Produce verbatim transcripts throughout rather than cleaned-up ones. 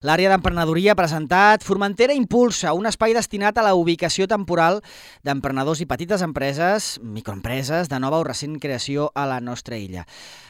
L'àrea d'emprenedoria ha presentat Formentera Impulsa, un espai destinat a la ubicació temporal d'emprenedors i petites empreses, microempreses, de nova o recent creació a la nostra illa.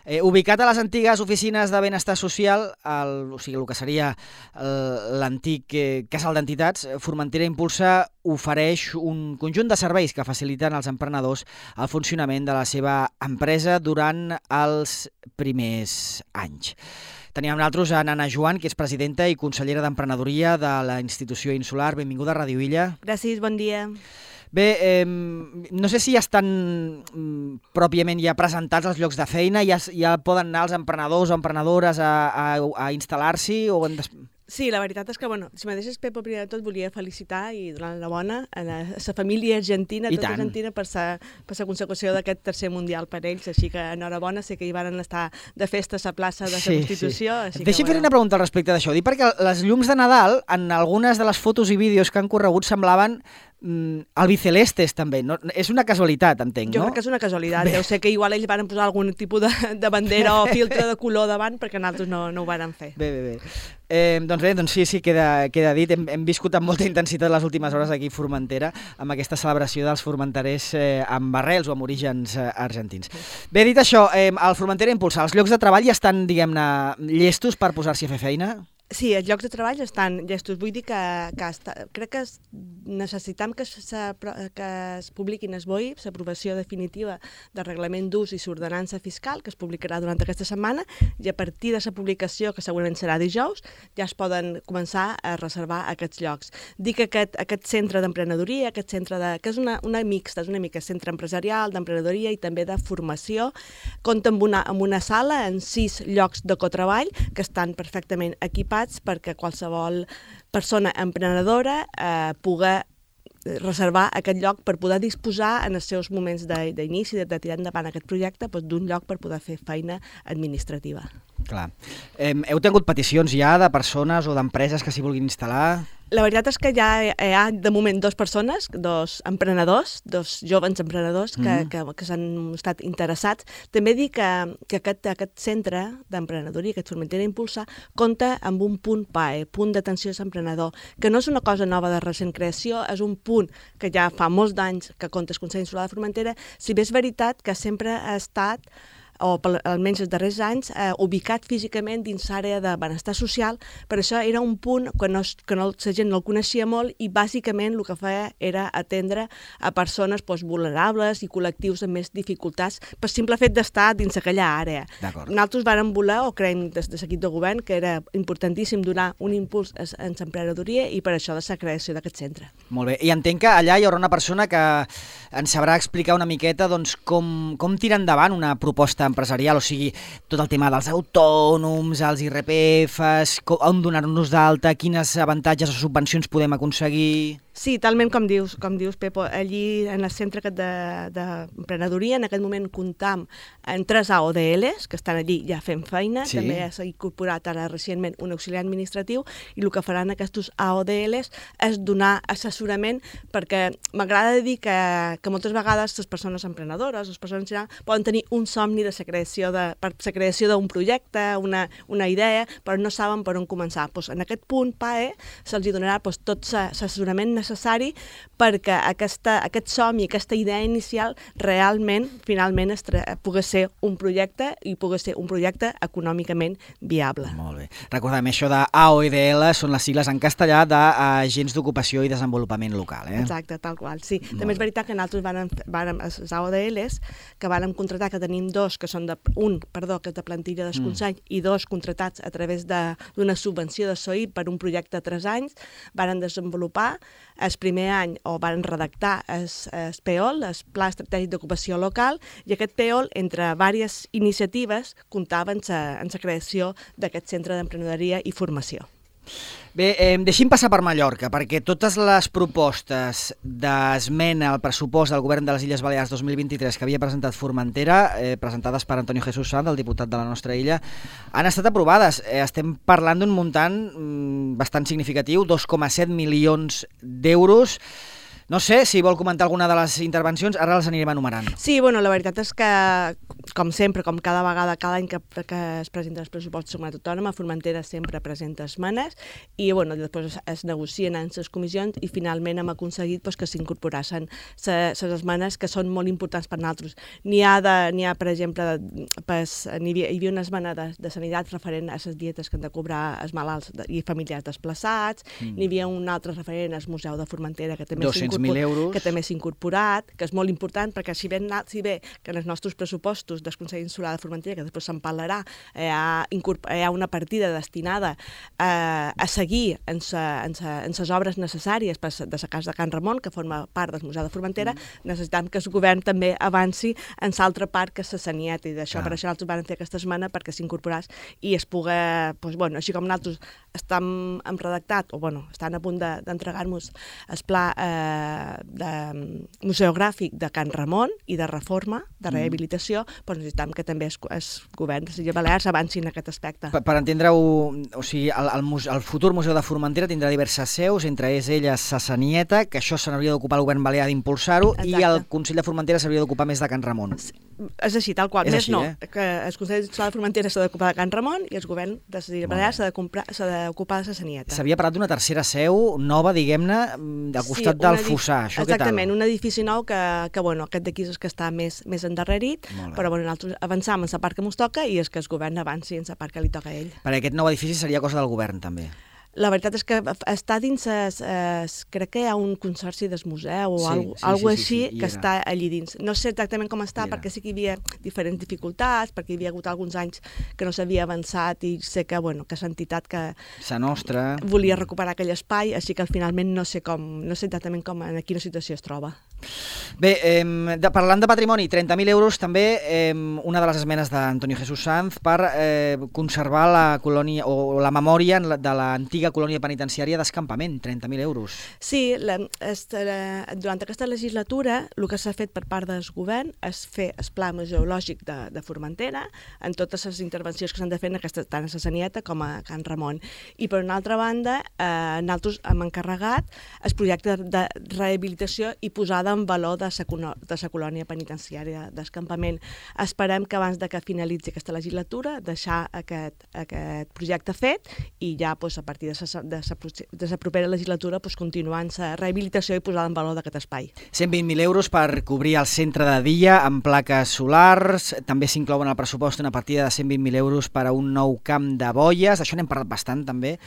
Eh, ubicat a les antigues oficines de benestar social, el, o sigui, el que seria l'antic eh, casal d'entitats, Formentera Impulsa ofereix un conjunt de serveis que faciliten als emprenedors el funcionament de la seva empresa durant els primers anys. Teníem nosaltres a Nana Joan, que és presidenta i consellera d'emprenedoria de la institució insular. Benvinguda a Ràdio Illa. Gràcies, bon dia. Bé, eh, no sé si ja estan mm, pròpiament ja presentats els llocs de feina, ja, ja poden anar els emprenedors o emprenedores a, a, a instal·lar-s'hi o... En des... Sí, la veritat és que, bueno, si me deixes, Pepo, primer de tot volia felicitar i donar la bona a la, a la família argentina, a tota Argentina, per la per la consecució d'aquest tercer mundial per ells, així que enhorabona, sé que hi van estar de festa a la plaça de la sí, Constitució. Sí. Deixa'm fer una pregunta al respecte d'això, dic perquè les llums de Nadal, en algunes de les fotos i vídeos que han corregut, semblaven mm, albicelestes també, no? És una casualitat, entenc, jo no? Jo crec que és una casualitat, deu ser que igual ells van posar algun tipus de, de bandera o filtre de color davant perquè nosaltres no, no ho van fer. Bé, bé, bé. Eh, doncs bé, doncs sí, sí, queda, queda dit. Hem, hem viscut amb molta intensitat les últimes hores aquí a Formentera amb aquesta celebració dels formenterers eh, amb arrels o amb orígens eh, argentins. Bé, dit això, eh, el Formentera Impulsa, els llocs de treball ja estan, diguem-ne, llestos per posar-s'hi a fer feina? Sí, els llocs de treball estan llestos. Vull dir que, que està, crec que necessitem que, se, que es publiquin es B O I, l'aprovació definitiva del reglament d'ús i l'ordenança fiscal, que es publicarà durant aquesta setmana, i a partir de la publicació, que segurament serà dijous, ja es poden començar a reservar aquests llocs. Dic que aquest, aquest centre d'emprenedoria, aquest centre de, que és una, una mixta, és una mica centre empresarial, d'emprenedoria i també de formació, compta amb una, amb una sala en sis llocs de cotreball que estan perfectament equipats perquè qualsevol persona emprenedora eh, pugui reservar aquest lloc per poder disposar en els seus moments d'inici, de, de tirar endavant aquest projecte, doncs, d'un lloc per poder fer feina administrativa. Clar. Eh, heu tingut peticions ja de persones o d'empreses que s'hi vulguin instal·lar? La veritat és que ja hi ha, de moment, dues persones, dos emprenedors, dos joves emprenedors que, mm. que, que s'han estat interessats. També dic que, que aquest, aquest centre d'emprenedoria, aquest Formentera Impulsa, compta amb un punt P A E, punt d'atenció a l'emprenedor, que no és una cosa nova de recent creació, és un punt que ja fa molts d'anys que compta el Consell Insular de Formentera, si bé és veritat que sempre ha estat o almenys els darrers anys, eh, ubicat físicament dins l'àrea de benestar social. Per això era un punt que, no, que no, la gent no el coneixia molt i bàsicament el que feia era atendre a persones doncs, vulnerables i col·lectius amb més dificultats per simple fet d'estar dins aquella àrea. Nosaltres vàrem voler, o creiem des de l'equip de govern, que era importantíssim donar un impuls en l'emprenedoria i per això de la creació d'aquest centre. Molt bé, i entenc que allà hi haurà una persona que ens sabrà explicar una miqueta doncs, com, com tirar endavant una proposta empresarial, o sigui, tot el tema dels autònoms, els I R P Fs, on donar-nos d'alta, quines avantatges o subvencions podem aconseguir... Sí, talment com dius, com dius, Pepo. Allí, en el centre d'emprenedoria, en aquest moment comptam en tres A O D Ls, que estan allí ja fent feina. Sí. També s'ha incorporat ara recentment un auxiliar administratiu i el que faran aquests A O D Ls és donar assessorament, perquè m'agrada dir que, que moltes vegades les persones emprenedores, les persones poden tenir un somni de la creació de, per la creació d'un projecte, una, una idea, però no saben per on començar. Pues en aquest punt P A E se'ls donarà pues, tot l'assessorament necessari perquè aquesta, aquest somni, aquesta idea inicial realment, finalment, es pugui ser un projecte i pugui ser un projecte econòmicament viable. Molt bé. Recordem, això de A O D L són les sigles en castellà d'Agents d'Ocupació i Desenvolupament Local. Eh? Exacte, tal qual, sí. Molt També és veritat que nosaltres vàrem, vàrem, els A O D Ls, que vàrem contratar, que tenim dos, que són de, un, perdó, que és de plantilla del Consell, mm. i dos contratats a través d'una subvenció de S O I per un projecte de tres anys, varen desenvolupar el primer any o van redactar el, el P O L, el Pla Estratègic d'Ocupació Local, i aquest P O L, entre diverses iniciatives, comptava en la creació d'aquest centre d'emprenedoria i formació. Bé, eh, deixi'm passar per Mallorca, perquè totes les propostes d'esmena al pressupost del Govern de les Illes Balears dos mil vint-i-tres que havia presentat Formentera, eh, presentades per Antonio Jesús Sanz, el diputat de la nostra illa, han estat aprovades. Eh, estem parlant d'un muntant mm, bastant significatiu, dos coma set milions d'euros. No sé si vol comentar alguna de les intervencions, ara les anirem enumerant. Sí, bueno, la veritat és que, com sempre, com cada vegada, cada any que, que es presenten els pressupostos de Comunitat Autònoma, Formentera sempre presenta esmenes i bueno, després es negocien en les comissions i finalment hem aconseguit pues, que s'incorporassin les esmenes que són molt importants per nosaltres. N'hi ha, de, n'hi ha per exemple, pues, n'hi havia, hi havia una esmena de, de sanitat referent a les dietes que han de cobrar els malalts i familiars desplaçats, mm. n'hi havia un altre referent al Museu de Formentera que també s'ha incorporat, que també s'ha incorporat, que és molt important perquè si bé, si bé que en els nostres pressupostos del Consell Insular de Formentera, que després se'n parlarà, hi ha, hi ha una partida destinada a, a seguir en les obres necessàries per de la Casa de Can Ramon, que forma part del Museu de Formentera, mm. necessitem que el govern també avanci en l'altra part que és la Sanieta, i d'això, per això nosaltres vam fer aquesta esmena perquè s'incorporàs i es pugui, doncs, bueno, així com nosaltres estem hem redactat, o bueno, estan a punt d'entregar-nos el pla eh, de museogràfic de Can Ramon i de reforma, de rehabilitació, mm. però necessitem que també el govern de les Illes Balears avancin en aquest aspecte. Per, per entendre-ho, o sigui, el, el, muse, el futur Museu de Formentera tindrà diverses seus, entre elles la Sanieta, que això se n'hauria d'ocupar el govern balear d'impulsar-ho, i el Consell de Formentera s'hauria d'ocupar més de Can Ramon. És així, tal qual. És més així, no, eh? que el Consell de Formentera s'ha d'ocupar de Can Ramon i el govern de les Illes Balears s'ha d'ocupar de la Sanieta. S'havia parlat d'una tercera seu nova, diguem-ne, al costat sí, del Fossar. Això exactament, un edifici nou que, que bueno, aquest d'aquí és que està més, més endarrerit, però bueno, nosaltres avançam en la part que ens toca i és que el govern avanci en la part que li toca a ell. Perquè aquest nou edifici seria cosa del govern, també. La veritat és que està dins, es, es, crec que hi ha un consorci del museu o sí, alguna sí, sí, així sí, sí, que està allí dins. No sé exactament com està, perquè sí que hi havia diferents dificultats, perquè hi havia hagut alguns anys que no s'havia avançat i sé que, bueno, que l'entitat que Sa Nostra volia recuperar aquell espai, així que finalment no sé com, no sé exactament com, en quina situació es troba. Bé, eh, de, parlant de patrimoni, trenta mil euros també, eh, una de les esmenes d'Antonio Jesús Sanz per eh, conservar la colònia o la memòria de l'antiga colònia penitenciària d'Escampament, trenta mil euros. Sí, la, este, la, durant aquesta legislatura el que s'ha fet per part del govern és fer el pla museològic de, de Formentera en totes les intervencions que s'han de fer en aquesta, tant a la Sanieta com a Can Ramon. I per una altra banda, eh, nosaltres hem encarregat el projecte de rehabilitació i posada en valor de la colònia penitenciària d'Escampament. Esperem que abans de que finalitzi aquesta legislatura deixar aquest, aquest projecte fet i ja doncs, a partir de la propera legislatura doncs, continuar en la rehabilitació i posada en valor d'aquest espai. cent vint mil euros per cobrir el centre de dia amb plaques solars. També s'inclouen al pressupost una partida de cent vint mil euros per a un nou camp de boies. D'això n'hem parlat bastant també.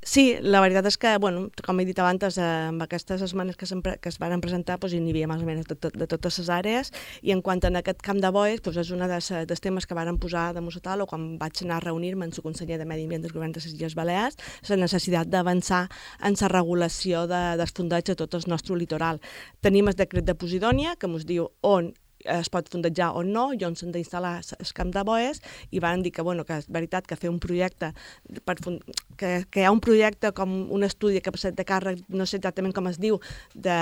Sí, la veritat és que, bueno, com he dit abans, eh, amb aquestes esmenes que, que es van presentar doncs, hi havia més o menys de, de, de totes les àrees, i en quant a aquest camp de boies, doncs, és un de dels temes que van posar damunt la taula quan vaig anar a reunir-me amb el conseller de Medi Ambient del govern de les Illes Balears, la necessitat d'avançar en la regulació de, dels fondeig a tot el nostre litoral. Tenim el decret de Posidònia, que ens diu on es pot fondejar o no, i on s'han d'instal·lar el camp de boies, i van dir que, bueno, que és veritat que fer un projecte, per fund... que, que hi ha un projecte com un estudi que ha passat de càrrec, no sé exactament com es diu, de,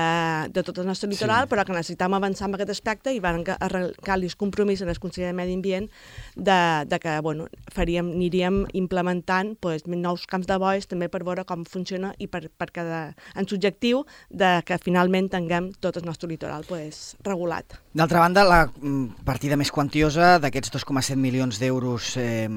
de tot el nostre litoral, sí. Però que necessitam avançar en aquest aspecte i van arrencar el compromís en el Consell de Medi Ambient de, de que, bueno, faríem, aniríem implementant pues, nous camps de boies també per veure com funciona i per, per cada, en subjectiu de que finalment tinguem tot el nostre litoral pues, regulat. D'altra banda, la partida més quantiosa d'aquests dos coma set milions d'euros eh,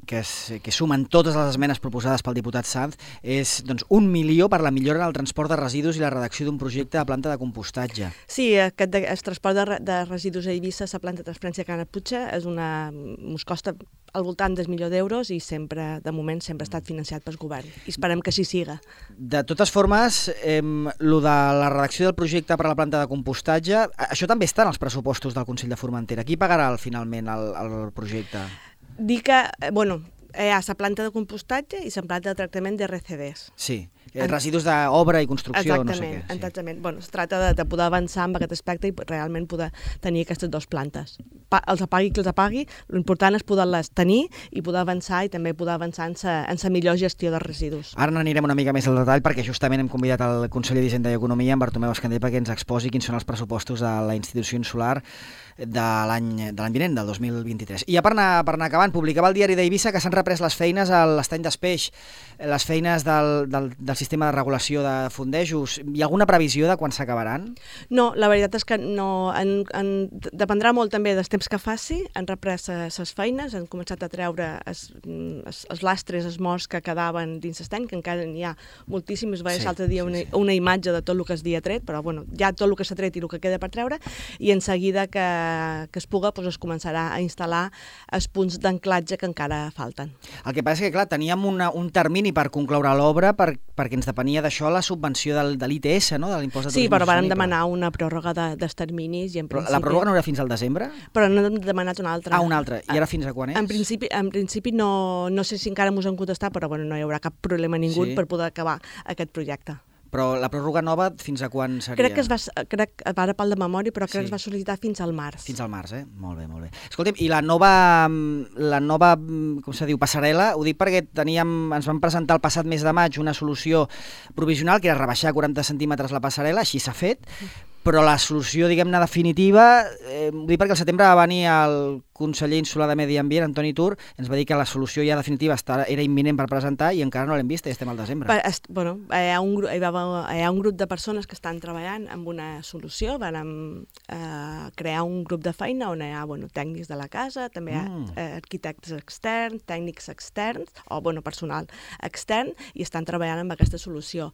que, es, que sumen totes les esmenes proposades pel diputat Sanz és doncs, un milió per la millora en el transport de residus i la redacció d'un projecte de planta de compostatge. Sí, aquest de, el transport de, de residus a Eivissa, la planta de transferència Can Aputxa, és una, ens costa al voltant del milió d'euros i sempre, de moment, sempre ha estat financiat pel govern. I esperem que així siga. De totes formes, eh, lo de la redacció del projecte per a la planta de compostatge, això també està en els pressupostos del Consell de Formentera. Qui pagarà finalment el, el projecte? Dir que, bueno, hi ha la planta de compostatge i la planta de tractament de R C Ds. Sí, en... residus d'obra i construcció, exactament, no sé què. Sí. Exactament, bueno, es tracta de, de poder avançar en aquest aspecte i realment poder tenir aquestes dues plantes. Pa, els apagui qui els apagui, l'important és poder-les tenir i poder avançar i també poder avançar en sa, en sa millor gestió dels residus. Ara n'anirem una mica més al detall perquè justament hem convidat el conseller d'Hisenda i Economia, en Bartomeu Escandell, perquè ens exposi quins són els pressupostos de la institució insular de l'any de l'any vinent, del dos mil vint-i-tres. I ja per anar, per anar acabant, publicava el diari d'Eivissa que s'han reprès les feines a l'estany d'Espeix, les feines del, del, de del sistema de regulació de fondejos. Hi ha alguna previsió de quan s'acabaran? No, la veritat és que no, en, en, dependrà molt també dels temps que faci. Han reprès les feines, han començat a treure els lastres, els morts que quedaven dins l'estany, que encara n'hi ha moltíssims. Va ser l'altre dia una, una imatge de tot el que es havia tret, però bueno, ja tot el que s'ha tret i el que queda per treure, i en seguida que, que es puga doncs es començarà a instal·lar els punts d'anclatge que encara falten. El que passa és que, clar, teníem una, un termini per concloure l'obra per, perquè ens depenia d'això la subvenció del, de l'I T S, no? De l'impost de turisme. Sí, però vàrem demanar una pròrroga de, dels terminis i en però principi... La pròrroga no era fins al desembre? Però n'hem demanat una altra. Ah, una altra. I ara fins a quan és? En principi, en principi no, no sé si encara mos han contestat, però bueno, no hi haurà cap problema ningú sí. per poder acabar aquest projecte. Però la pròrroga nova fins a quan seria? Crec que es va, crec, ara parlo de memòria, però crec sí. que es va sol·licitar fins al març. Fins al març, eh? Molt bé, molt bé. Escolta'm, i la nova, la nova, com se diu, passarel·la, ho dic perquè teníem, ens van presentar el passat mes de maig una solució provisional, que era rebaixar quaranta centímetres la passarel·la, així s'ha fet, però la solució, diguem-ne, definitiva, eh, ho dic perquè al setembre va venir el conseller insular de Medi Ambient, Antoni Tur, ens va dir que la solució ja definitiva era imminent per presentar i encara no l'hem vista i estem al desembre. Per, est, bueno, hi ha, un, hi, va, hi ha un grup de persones que estan treballant amb una solució, van eh, crear un grup de feina on hi ha bueno, tècnics de la casa, també hi ha mm. eh, arquitectes externs, tècnics externs, o bueno, personal extern, i estan treballant amb aquesta solució.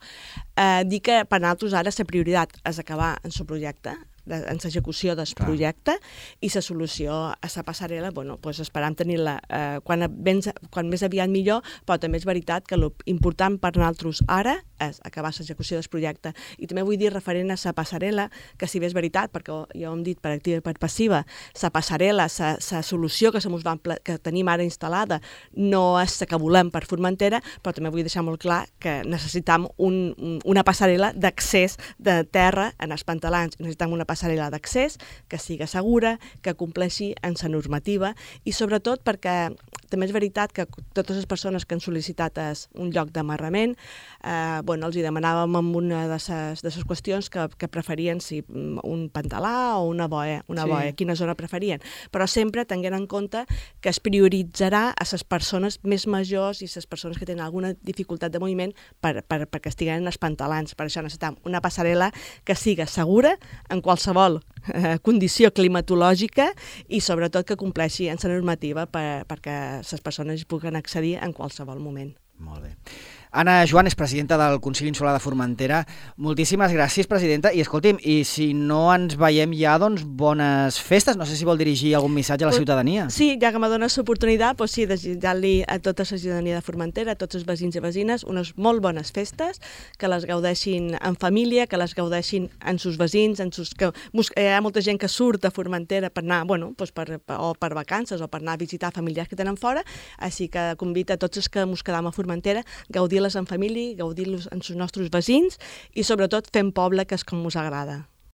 Eh, dir que per nosaltres ara la prioritat és acabar en el projecte, en l'execució del projecte, i la solució a la passarel·la, bueno, doncs esperam tenir-la eh, quan, ben, quan més aviat millor, però també és veritat que l'important per nosaltres ara és acabar l'execució del projecte. I també vull dir, referent a la passarel·la, que si bé és veritat, perquè ja ho hem dit per activa i per passiva, la passarel·la, la solució que, van, que tenim ara instal·lada no és la que volem per Formentera, però també vull deixar molt clar que necessitam un, una passarel·la d'accés de terra en els pantalans, necessitam una passarel·la d'accés que sigui segura, que compleixi en la normativa i sobretot perquè també és veritat que totes les persones que han sol·licitat un lloc d'amarrament, eh, bueno, els hi demanàvem amb una de les qüestions que, que preferien si un pantalà o una boia, una sí. boia, quina zona preferien, però sempre tenint en compte que es prioritzarà a les persones més majors i les persones que tenen alguna dificultat de moviment per, per, perquè estiguen en els pantalans. Per això necessitem una passarel·la que siga segura en qualsevol eh, condició climatològica i sobretot que compleixi en la normativa per, perquè les persones puguen accedir en qualsevol moment. Molt bé. Anna Joan és presidenta del Consell Insular de Formentera. Moltíssimes gràcies, presidenta. I escolti'm, i si no ens veiem ja, doncs bones festes. No sé si vol dirigir algun missatge a la ciutadania. Sí, ja que m'ha donat l'oportunitat, doncs sí, desitjar-li a tota la ciutadania de Formentera, a tots els veïns i veïnes, unes molt bones festes, que les gaudeixin en família, que les gaudeixin en sus veïns, en sus, que hi ha molta gent que surt a Formentera per anar, bueno, doncs per, o per vacances o per anar a visitar familiars que tenen fora, així que convida a tots els que ens quedam a Formentera a gaudir les en família, gaudir-los amb els nostres veïns i sobretot fent poble, que és com us agrada.